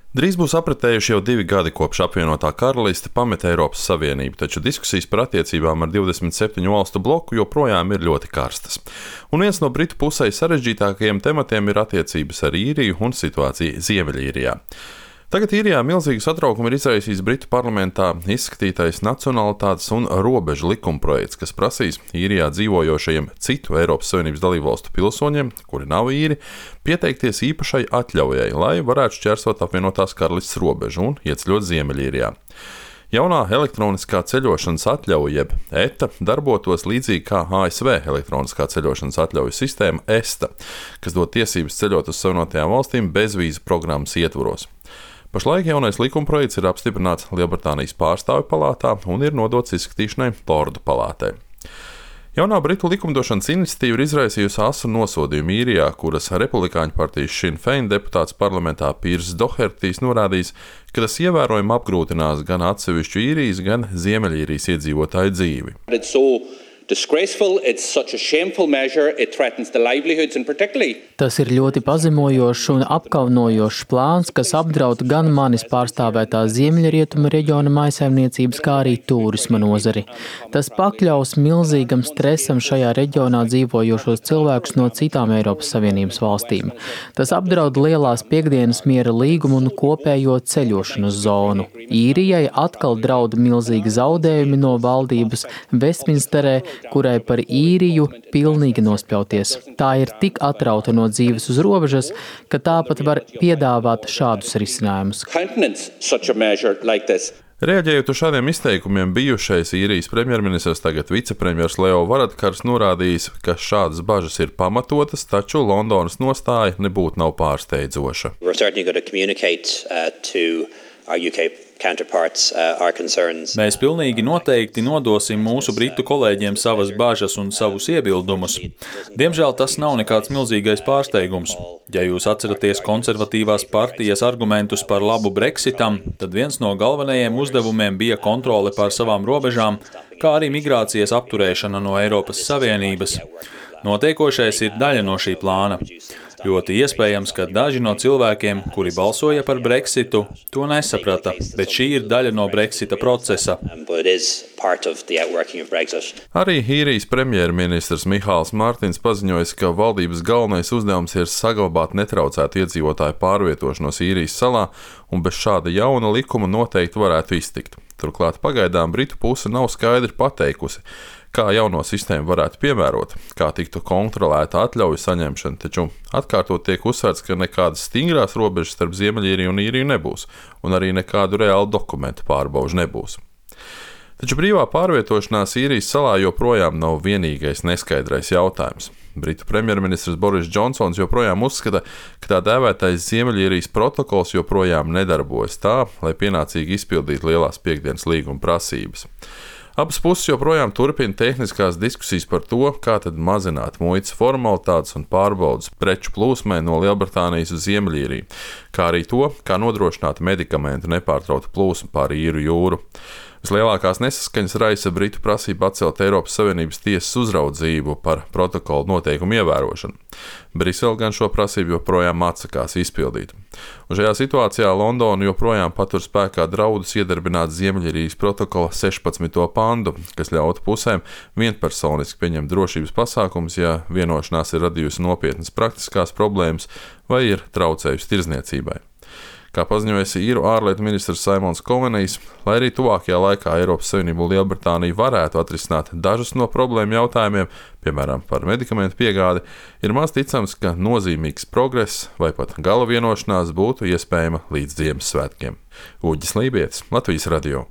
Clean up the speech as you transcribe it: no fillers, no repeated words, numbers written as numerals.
Drīz būs apritējuši jau 2 gadi, kopš apvienotā karaliste pameta Eiropas Savienību, taču diskusijas par attiecībām ar 27 valstu bloku joprojām ir ļoti karstas. Un viens no Britu pusē sarežģītākajiem tematiem ir attiecības ar Īriju un situācija Ziemeļīrijā. Tagad Īrijā milzīgu satraukumu ir izraisījis Britu parlamentā izskatītais nacionalitātes un robežu likumprojekts, kas prasīs Īrijā dzīvojošajiem citu Eiropas Savienības dalībvalstu pilsoņiem, kuri nav īri, pieteikties īpašai atļaujai, lai varētu šķērsot apvienotās karalistes robežu un ieceļot Ziemeļīrijā. Jaunā elektroniskā ceļošanas atļauja, jeb ETA, darbotos līdzīgi kā ASV elektroniskā ceļošanas atļauju sistēma ESTA, kas dod tiesības ceļot uz Savienotajām valstīm bezvīzu programmas ietvaros. Pašlaik jaunais likumprojekts ir apstiprināts Lielbritānijas pārstāvju palātā un ir nodots izskatīšanai Lordu palātē. Jaunā Britu likumdošanas iniciatīva ir izraisījusi asu nosodījumu Īrijā, kuras republikāņu partijas Sinn Fein deputāts parlamentā Pīrs Dohertijs norādījis, ka tas ievērojami apgrūtinās gan atsevišķu Īrijas, gan Ziemeļīrijas iedzīvotāju dzīvi. Tas ir ļoti pazemojošs un apkaunojošs plāns, kas apdraud gan manis pārstāvētā Ziemeļrietumu reģiona mājsaimniecības, kā arī tūrisma nozari. Tas pakļaus milzīgam stresam šajā reģionā dzīvojošos cilvēkus no citām Eiropas Savienības valstīm. Tas apdraud lielās piekdienas miera līgumu un kopējo ceļošanas zonu. Īrijai atkal draud milzīgi zaudējumi no valdības Vestminsterē, kurai par Īriju pilnīgi nospļauties. Tā ir tik atrauta no dzīves uz robežas, ka tā pat var piedāvāt šādus risinājumus. Reaģējot uz šādiem izteikumiem, bijušais Īrijas premjerministrs, tagad vicepremjers Leo Varadkars norādījis, ka šādas bažas ir pamatotas, taču Londonas nostāja nebūtu nav pārsteidzoša. Mēs pilnīgi noteikti nodosim mūsu britu kolēģiem savas bažas un savus iebildumus. Diemžēl tas nav nekāds milzīgais pārsteigums. Ja jūs atceraties konservatīvās partijas argumentus par labu Brexitam, tad viens no galvenajiem uzdevumiem bija kontrole pār savām robežām, kā arī migrācijas apturēšana no Eiropas Savienības. Notiekošais ir daļa no šī plāna. Ļoti iespējams, ka daži no cilvēkiem, kuri balsoja par Brexitu, to nesaprata, bet šī ir daļa no Brexita procesa. Arī Īrijas premjerministrs Mihāls Martins paziņoja, ka valdības galvenais uzdevums ir saglabāt netraucētu iedzīvotāju pārvietošanos Īrijas salā, un bez šāda jauna likuma noteikti varētu iztikt. Turklāt pagaidām Britu puse nav skaidri pateikusi, kā jauno sistēmu varētu piemērot, kā tiktu kontrolēta atļauju saņemšana, taču atkārtot tiek uzsvērts, ka nekādas stingrās robežas starp Ziemeļīriju un Īriju nebūs, un arī nekādu reālu dokumentu pārbaužu nebūs. Taču brīvā pārvietošanās Īrijas salā joprojām nav vienīgais neskaidrais jautājums. Britu premjerministrs Boris Džonsons joprojām uzskata, ka tā dēvētais Ziemeļīrijas protokols joprojām nedarbojas tā, lai pienācīgi izpildītu lielās piekdienas līguma prasības. Abas puses joprojām turpina tehniskās diskusijas par to, kā tad mazināt muitas formalitātes un pārbaudas preču plūsmai no Lielbritānijas uz Ziemeļīriju, kā arī to, kā nodrošināt medikamentu nepārtrautu plūsmu pāri Īru jūru. Vislielākās nesaskaņas raisa Britu prasība atcelt Eiropas Savienības tiesas uzraudzību par protokolu noteikumu ievērošanu. Brisele gan šo prasību joprojām atsakās izpildīt. Un šajā situācijā Londona joprojām patur spēkā draudus iedarbināt Ziemeļīrijas protokola 16. pantu, kas ļautu pusēm vienpersoniski pieņemt drošības pasākumus, ja vienošanās ir radījusi nopietnas praktiskās problēmas vai ir traucējusi tirdzniecībai. Kā paziņoja īru ārlietu ministrs Simons Covenijs, lai arī tuvākajā laikā Eiropas Savienība un Lielbritānija varētu atrisināt dažus no problēmu jautājumiem, piemēram, par medikamentu piegādi, ir maz ticams, ka nozīmīgs progress vai pat gala vienošanās būtu iespējama līdz Ziemassvētkiem. Uģis Lībietis, Latvijas radio.